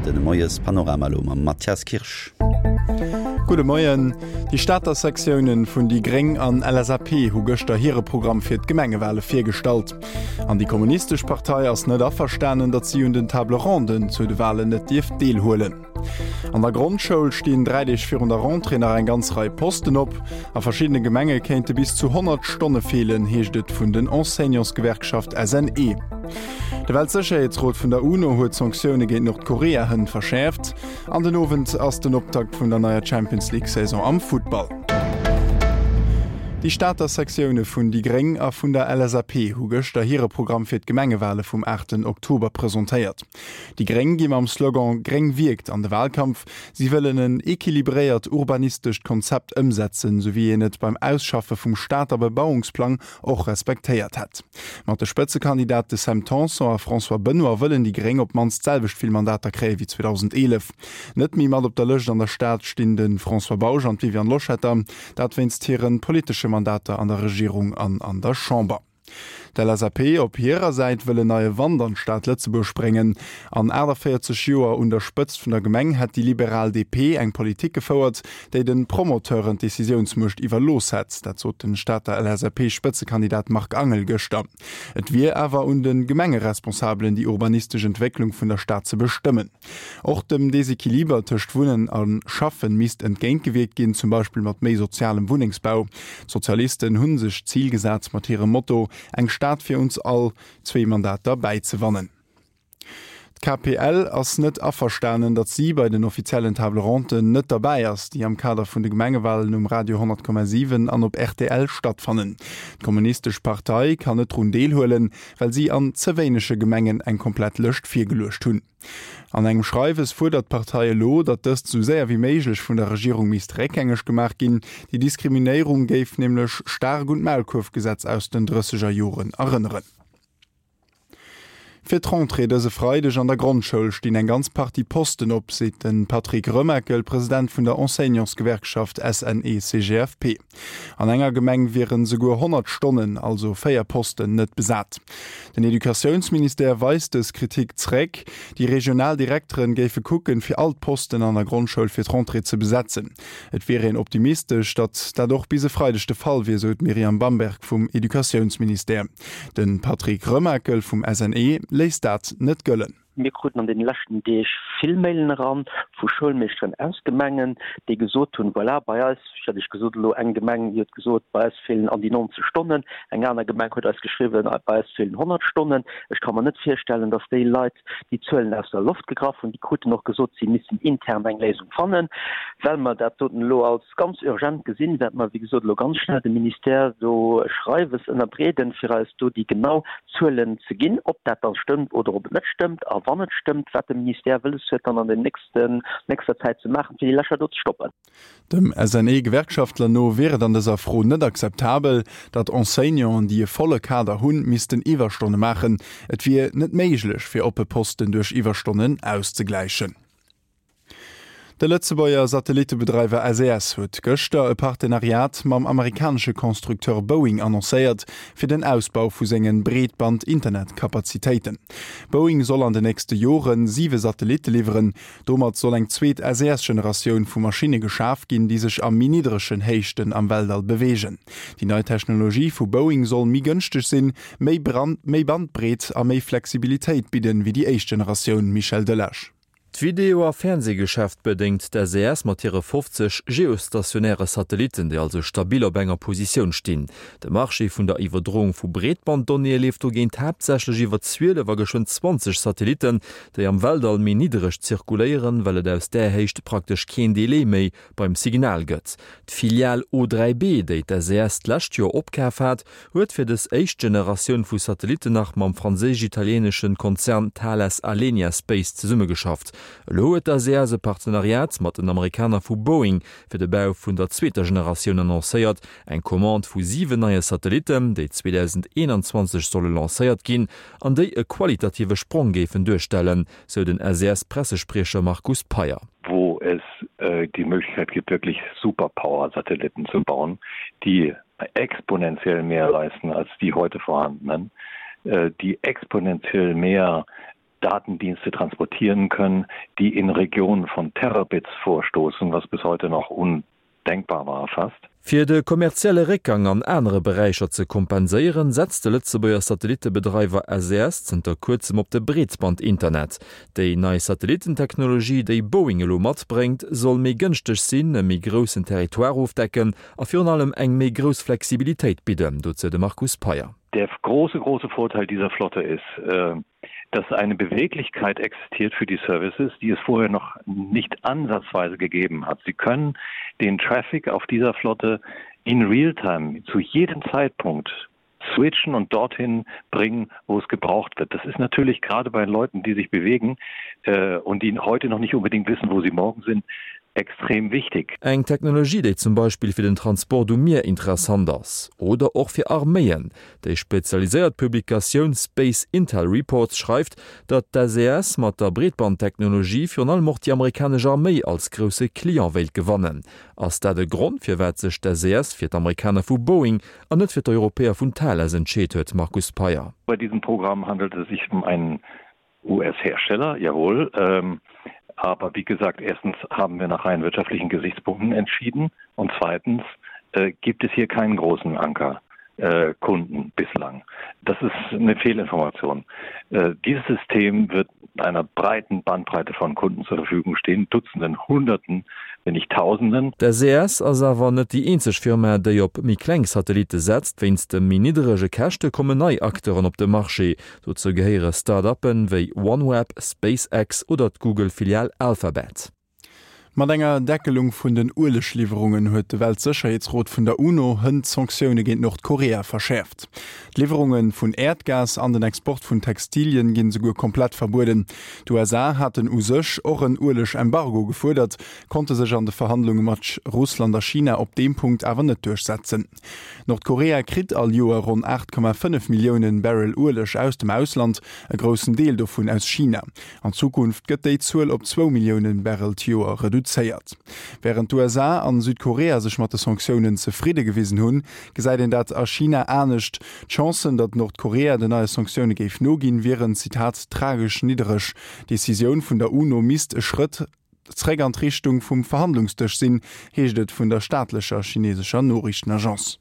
fir de Moiespanorama elo mam Mathias Kirsch. Gudde Moien. Déi Stater Sektiounen vun déi gréng an LSAP hu gëschter hire Programm fir d'Gemengewale virgestallt. An déi Kommunistesch Partei ass net averstanen, datt si un den Table ronden zu de Walen net dierf deelhuelen. An der Grondschoul stinn 3 Deeg virun der Rentrée nach eng ganz Rei Posten op. A verschiddene Gemenge kéinte bis zu 100 Stonne feelen, heescht et vun den Enseignantsgewerkschaft SNE. De Weltsécherheetsrot vun der UNO huet d'Sanktioune géint Nordkorea hënt verschäerft. An den Owend ass den Optakt vun der neier Champions League Saison am Futtball. Déi Stater Sektioune vun déi gréng a vun der LSAP hu gëschter hire Programm fir d'Gemengewale vum 8 Oktober presentéiert. Déi gréng gi mam Slogan Gréng wierkt an de Walkampf. Si wëllen en equilibréiert urbanistescht Konzept ëmsetzen, sou wéi een et beim Ausschaffe vum Stater Bebauungsplang och respektéiert hätt. Mat de Spëtzekandidate Sam Tanson a François Benoy wëllen déi Gréng op d'mannst d'selwecht vill Mandater kréie wéi 2011. Net méi mat op der Lëscht an der Stad stinn de François Bausch an d'Viviane Loschetter, dat wéinst hire politesche Mandater an der Regierung an an der Chamber. D'LSAP op hirer Säit wëll en neie Wand an d'Stad Lëtzebuerg bréngen. An 48 Joer un der Spëtzt vun der Gemeng hätt déi liberal DP eng Politik gefouert, déi de Promoteuren d'Decisiounsmuecht iwwerlooss hätt. Dat sot de Stater LSAP-Spëtzekandidat Marc Angel gëschter. Et wier awer un de Gemengeresponsabelen, déi urbanistesch Entwécklung vun der Stad ze bestëmmen. Och dem Desequiliber tëscht Wunnen a Schaffen misst entgéintgewierkt ginn, zum Beispill mat méi sozialem Wunnengsbau. D'Sozialisten hu sech d'Zil gesat, mat hirem Motto Eng Stad fir uns all zwee Mandater bäizewannen. D'KPL ass net averstanen, datt si bei den offiziellen Table Ronden net derbäi ass, déi am Kader vun de Gemengewalen um Radio 100,7 an op rtl stattfannen. D'Kommunistesch Partei kann net drun deelhuelen, well si an ze wéinege Gemengen eng komplett Lëscht virgeluecht hunn. An engem Schreiwes fuerdert d'Partei elo, datt dëst esou séier wéi méiglech vun der Regierung misst réckgängeg gemaach ginn. Déi Diskriminéierung géif nämlech staark un d'Maulkuerfgesetz aus den drësseger Joren erënneren. Fir d'Rentrée dëse Freideg an der Grondschoul stinn eng ganz Partie Posten op, seet de Patrick Remakel, President vun der Enseignantsgewerkschaft SNE-CGFP. An enger Gemeng wieren esouguer 100 Stonnen, also 4 Posten, net besat. Den Educatiounsministère weist dës Kritik zréck. Déi regional Direkteren géife kucken, fir all d'Posten an der Grondschoul fir d'Rentrée ze besetzen. Et wier een optimistesch, datt dat och bis e Freideg de Fall wier, sou d'Myriam Bamberg vum Educatiounsministère. De Patrick Remakel vum SNE léisst dat net gëllen. Mir kruten an deene leschten Deeg vill Mailen eran vu Schoulmeeschteren aus Gemengen, déi gesot hunn, voilà, bei eis, ech hat Iech gesot elo eng Gemeng, déi huet gesot, bei eis feelen an déi 90 Stonnen, eng aner Gemeng huet eis geschriwwen, bei eis feelen 100 Stonnen. Ech ka mer net virstellen, datt déi Leit déi Zuelen aus der Loft gegraff hunn. Déi kruten och gesot, si missten intern eng Léisung fannen. Well mer dat doten elo als ganz urgent gesinn, wäerte mer, wéi gesot, elo ganz schnell dem Ministère do e Schreiwes ënnerbreeden, fir eis do déi genau Zuelen ze ginn, ob dat da stëmmt oder ob et net stëmmt, a wann et stëmmt, wat de Ministère wëlles huet, dann an den nächsten, nächster Zäit ze maachen, fir déi Lächer do ze stoppen. Dem SNE-Gewerkschaftler no wier et an dëser Fro net akzeptabel, datt Enseignanten, déi e volle Kader hunn, missten Iwwerstonne maachen. Et wier net méiglech, fir oppe Posten duerch Iwwerstonnen auszegläichen. De Lëtzebuerger Satellittebedreiwer SES huet gëschter e Partenariat mam amerikanesche Constructeur Boeing annoncéiert, fir den Ausbau vu senge Breetband-Internetkapazitéiten. Boeing soll an de nächste Jore siwe Satellitte liwweren. Domat soll eng zweet SES-Generatioun vu Maschinne geschaf ginn, déi sech a méi niddregen Héichten am Weltall beweegen. Déi nei Technologie vu Boeing soll méi gënschteg sinn, méi méi Bandbreet a méi Flexibilitéit bidden, wéi déi éischt Generatioun, Michel Delage. D'Video a Fernsehgeschäft bedéngt d'SES mat hire 50 geostationäre Satellitten, déi also stabil op enger Positioun stinn. De Marché vun der Iwwerdroung vu Breetbanddonnéeë leeft dogéint haaptsächlech iwwer 12 a geschwënn 20 Satellitten, déi am Weltall méi niddereg zirkuléieren, well et aus där Héicht praktesch keen Delai méi beim Signal gëtt. D'Filial O3B, déi d'SES d'lescht Joer opkaf hat, huet fir dës éischt Generatioun vu Satellitten nach mam franséisch-italieeneschen Konzern Thales Alenia Space zesummegeschafft. Elo huet d'SES e Partenariat mat den Amerikaner vu Boeing fir de Bau vun der zweeter Generatioun annoncéiert, eng Commande vu 7 neie Satellitten, déi 2021 solle lancéiert ginn an déi e qualitative Sprong géifen duerstellen, sou den SES-Pressespriecher Markus Peyer. Wo es die Möglichkeit gibt, wirklich Superpower-Satelliten zu bauen, die exponentiell mehr leisten als die heute vorhandenen, die exponentiell mehr. Datendienste transportieren können, die in Regionen von Terabits vorstoßen, was bis heute noch undenkbar war fast. Fir de kommerzielle Réckgang an anere Beräicher ze kompenséieren, setzt de Lëtzebuerger Satellittebedreiwer SES zënter kuerzem op de Breetband-Internet. Déi nei Satellitten-Technologie, déi Boeing elo matbréngt, soll méi gënschteg sinn, e méi groussen Territoire ofdecken a virun allem eng méi grouss Flexibilitéit bidden. Dozou de Markus Peyer. Der große, große Vorteil dieser Flotte ist, dass eine Beweglichkeit existiert für die Services, die es vorher noch nicht ansatzweise gegeben hat. Sie können den Traffic auf dieser Flotte in Realtime zu jedem Zeitpunkt switchen und dorthin bringen, wo es gebraucht wird. Das ist natürlich gerade bei Leuten, die sich bewegen äh, und die heute noch nicht unbedingt wissen, wo sie morgen sind, extrem wichtig. Eng Technologie, déi zum Beispill fir den Transport um Mier interessant ass. Oder och fir Arméien. Déi spezialiséiert Publikatioun Space Intel Reports schreift, datt d'SES mat der Breetbandtechnologie virun allem och déi amerikanesch Arméi als grousse Client wéilt gewannen. Ass dat e Grond, firwat sech d'SES fir d'Amerikaner vu Boeing an net fir d'Europäer vun Thales entscheet huet, Markus Peyer? Bei diesem Programm handelt es sich um einen US-Hersteller, jawohl. Ähm, aber wie gesagt, erstens haben wir nach rein wirtschaftlichen Gesichtspunkten entschieden und zweitens äh, gibt es hier keinen großen Anker. Äh, Kunden bislang. Das ist eine Fehlinformation. Äh, dieses System wird einer breiten Bandbreite von Kunden zur Verfügung stehen, Dutzenden, Hunderten, wenn nicht Tausenden. D'SES ass awer net déi eenzeg Firma, déi op méi kleng Satellitte setzt. Wéinst de méi nidderege Käschte kommen nei Acteuren op de Marché. Dozou gehéiere Start-uppen wéi OneWeb, SpaceX oder d'Google-Filial Alphabet. Mat enger Deckelung vun den Uelegliwwerungen huet de Weltsécherheetsrot vun der UNO hënt d'Sanktioune géint Nordkorea verschäerft. D'Liwwerunge vun Äerdgas an den Export vun Textilien ginn esouguer komplett verbueden. D'USA haten u sech och en Ueleg-Embargo gefuerdert, konnte sech an de Verhandlunge mat Russland a China op deem Punkt awer net duerchsetzen. Nordkorea kritt all Joer ronn 8,5 Millioune Barrel Ueleg aus dem Ausland, e groussen Deel dovun aus China. An Zukunft gëtt déi Zuel op zwou Millioune Barrel d'Joer reduzéiert. Wärend d'USA an Südkorea sech mat de Sanktiounen zefridde gewisen hunn, gesäit een dat a China anescht. D'Chancen, datt Nordkorea den neie Sanktioune géif noginn, wieren, Zitat, tragesch niddereg. D'Decisioun vun der UNO misst e Schrëtt Zréck an d'Richtung vum Verhandlungsdësch sinn, heescht et vun der staatlecher chinesescher Noriichtenagence.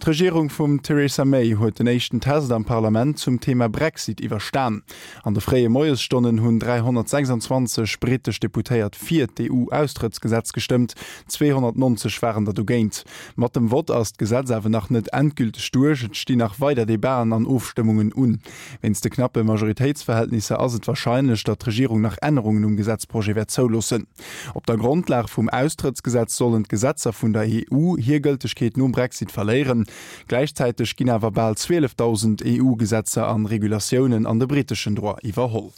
D'Regierung vum Theresa May huet den éischten Test am Parlament zum Thema Brexit iwwerstan. An de fréie Moiesstonnen hunn 326 brittesch Deputéiert fir d'EU-Austrëttsgesetz gestëmmt, 290 waren der dogéint. Mat dem Vott ass d'Gesetz awer nach net endgülteg duerch, et stinn nach weider Debaten an Ofstëmmungen un. Wéinst de knappe Majoritéitsverhältnisser ass et warscheinlech, datt d'Regierung nach Ännerungen um Gesetzprojet wäert zouloossen. Op der Grondlag vum Austrëttsgesetz sollen d'Gesetzer vun der EU hir Gëltegkeet nom Brexit verléieren. Gläichzäiteg ginn awer bal 12.000 EU-Gesetzer an Regulatiounen an de britteschen Droit iwwerholl.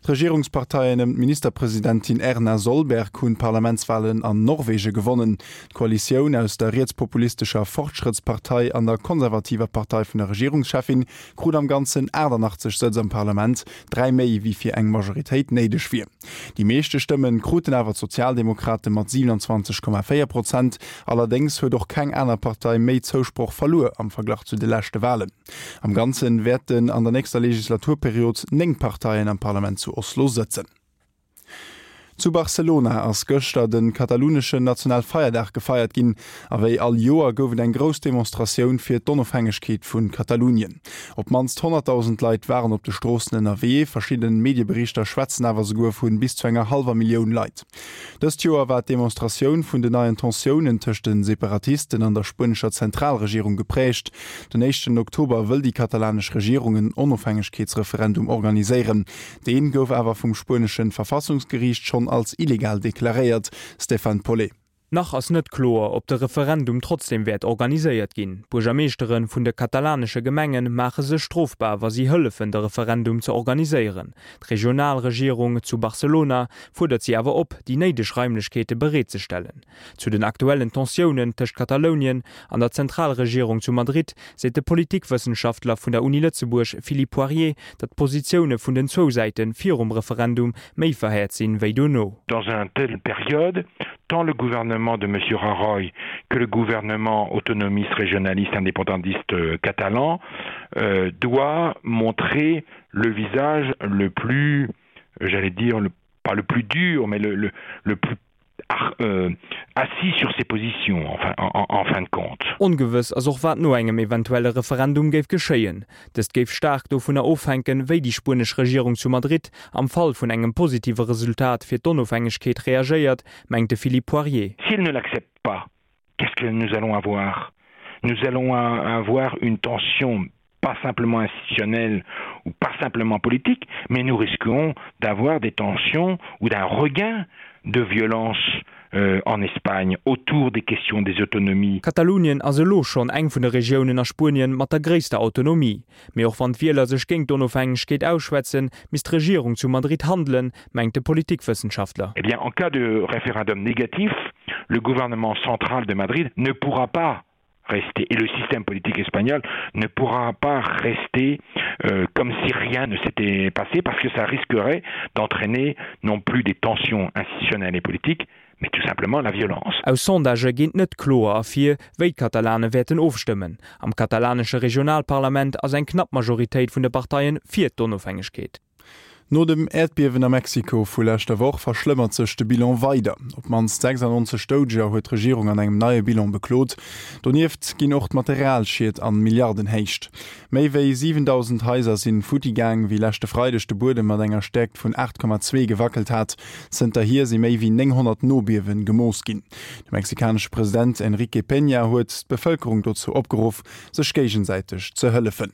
D'Regierungsparteien ëm d'Ministerpresidentin Erna Solberg hunn d'Parlamentswalen an Norwege gewonnen. D'Koalitioun aus der rietspopulistescher Fortschrëttspartei an der konservativer Partei vun der Regierungscheffin krut am Ganzen 88 Sëtz am Parlament, dräi méi wéi fir eng Majoritéit néideg wier. Déi meeschte Stëmme kruten awer d'Sozialdemokrate mat 27,4 Prozent. Allerdéngs huet och keng aner Partei méi Zousproch verluer am Verglach zu de leschte Walen. Am Ganze wäerten an der nächster Legislaturperiod 9 Parteien am Parlament zu Oslo sëtzen. Zu Barcelona ass gëschter de kataluneschen Nationalfeierdag gefeiert ginn. A wéi all Joer gouf et eng grouss Demonstratioun fir d'Onofhängegkeet vu Katalunien. Op d'mannst 100.000 Leit waren op de Stroossen ënnerwee, verschidden Medieberichter schwätzen awer souguer vu bis zu enger hallwer Millioun Leit. Dëst Joer war d'Demonstratioun vun den neien Tensiounen tëscht de Separatisten an der spuenescher Zentralregierung geprägt. Den éischten Oktober wëll déi katalanesch Regierung en Onofhängegkeetsreferendum organiséieren. Deen gouf awer vum spuenesche Verfassungsgeriicht schonn als illegal deklaréiert. Stéphane Paulet. Nach ass net kloer, ob de Referendum trotzdeem wäert organiséiert ginn. D'Buergermeeschtere vun de katalanesche Gemenge maache sech strofbar, wa si hëllefen, de Referendum ze organiséieren. D'Regionalregierung zu Barcelona fuerdert si awer op, déi néideg Raimlechkeete bereetzestellen. Zu den aktuellen Tensiounen tëscht Katalounien an der Zentralregierung zu Madrid seet de Politikwëssenschaftler vun der Uni Lëtzebuerg Philippe Poirier, datt d'Positioune vun den zwou Säite virum Referendum méi verhäert sinn, wéi dono. Dans un telle période. Tant le gouvernement de M. Rajoy que le gouvernement autonomiste, régionaliste, indépendantiste euh, catalan euh, doit montrer le visage le plus, j'allais dire, le, pas le plus dur, mais le, le, le plus euh, assis sur ses positions en fin, en, en fin de compte. Ongewëss ass och wat no engem eventuelle Referendum géif geschéien. Dëst géif staark dovunner ofhänken, wéi déi spuenesch Regierung zu Madrid am Fall vun engem positive Resultat fir d'Onofhängegkeet reagéiert, mengt de Philippe Poirier. S'ils ne l'acceptent pas, qu'est-ce que nous allons avoir? Nous allons avoir une tension pas simplement institutionnelle ou pas simplement politique, mais nous risquons d'avoir des tensions ou d'un regain de violence euh, en Espagne autour des questions des autonomies. Katalonien ass elo schonn eng vun de Regiounen a Spuenien mat der gréisster Autonomie. Mee och wann d'Wieler sech géint d'Onofhängegkeet ausschwätzen, misst d'Regierung zu Madrid handelen, mengt de Politikwëssenschaftler. Eh bien, en cas de référendum négatif, le gouvernement central de Madrid ne pourra pas rester et le système politique espagnol ne pourra pas rester euh, comme si rien ne s'était passé parce que ça risquerait d'entraîner non plus des tensions institutionnelles et politiques, mais tout simplement la violence. Aus Sondagë geet net kloer ervir, wéi d'Katalane wäerten ofstëmmen. Am katalanesche Regionalparlament ass eng knapp Majoritéit vun de Parteien fir d'Onofhängegkeet. No dem Äerdbiewen a Mexiko vu leschter Woch verschlëmmert sech de Bilan weider. Op d'mannst 96 Doudeger huet d'Regierung an engem neie Bilan beklot. Donieft ginn och d'Materialschied an Milliardenhéicht. Méi wéi 7.000 Haiser sinn futti gaang, wéi leschte Freideg de Buedem mat enger Stäerkt vun 8,2 gewackelt hat. Zënterhier si méi wéi 900 Nobiewe gemooss ginn. De mexikanesche President Enrique Peña huet d'Bevëlkerung dozou opgeruff, sech géigesäiteg ze hëllefen.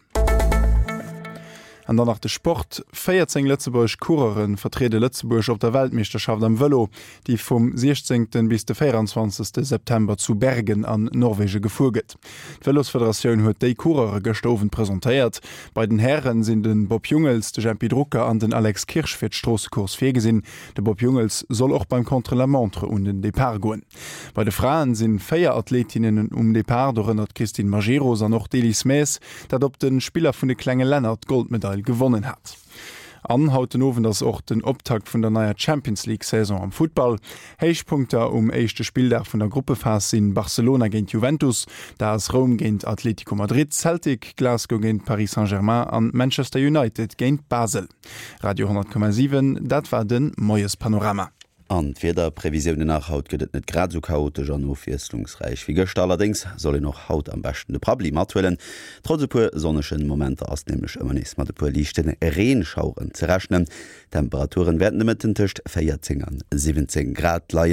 An dann nach de Sport, 14 lëtzebuergesch Coureure vertriede Lëtzebuerg op der Weltmeeschterschaft am Vëlo, déi vum 16. bis de 24. September zu Bergen an Norwege gefuer gëtt. D'Vëlosfederatioun huet déi Coureure gëschter Owend presentéiert. Bei den Häre sinn de Bob Jungels, de Jempy Drucker an den Alex Kirsch fir d'Stroossecourse virgesinn. De Bob Jungels soll och beim Contre-la-montre un den Depart goen. Bei de Fraen sinn 4 Athletinnen um Depart, dorënner d'Christine Majerus an och d'Elise Maes, dat op de Spiller vun de klenge Länner d'Goldmedail gewonnen hat. An haut den Owend ass och den Optakt vun der neier Champions League Saison am Futtball. Héichpunkter um éischte Spilldag vun der Gruppephas sinn Barcelona géint Juventus, d'AS Roum géint Atlético Madrid, Celtic Glasgow géint Paris Saint-Germain an Manchester United géint Basel. Radio 10,7, dat war de Moiespanorama. An d'Wiederprevisiounen nach, Haut gëtt et net grad esou chaotesch an ofwiesslungsräich wéi gëschter, allerdéngs soll een och haut am beschten de Prabbeli mathuelen. Trotz e puer sonnegen Momenter ass nämlech ëmmer nees mat e puer liichte Reenschaueren ze rechnen. D'Temperaturen wäerten de Mëtten tëscht 14 an 17 Grad leien.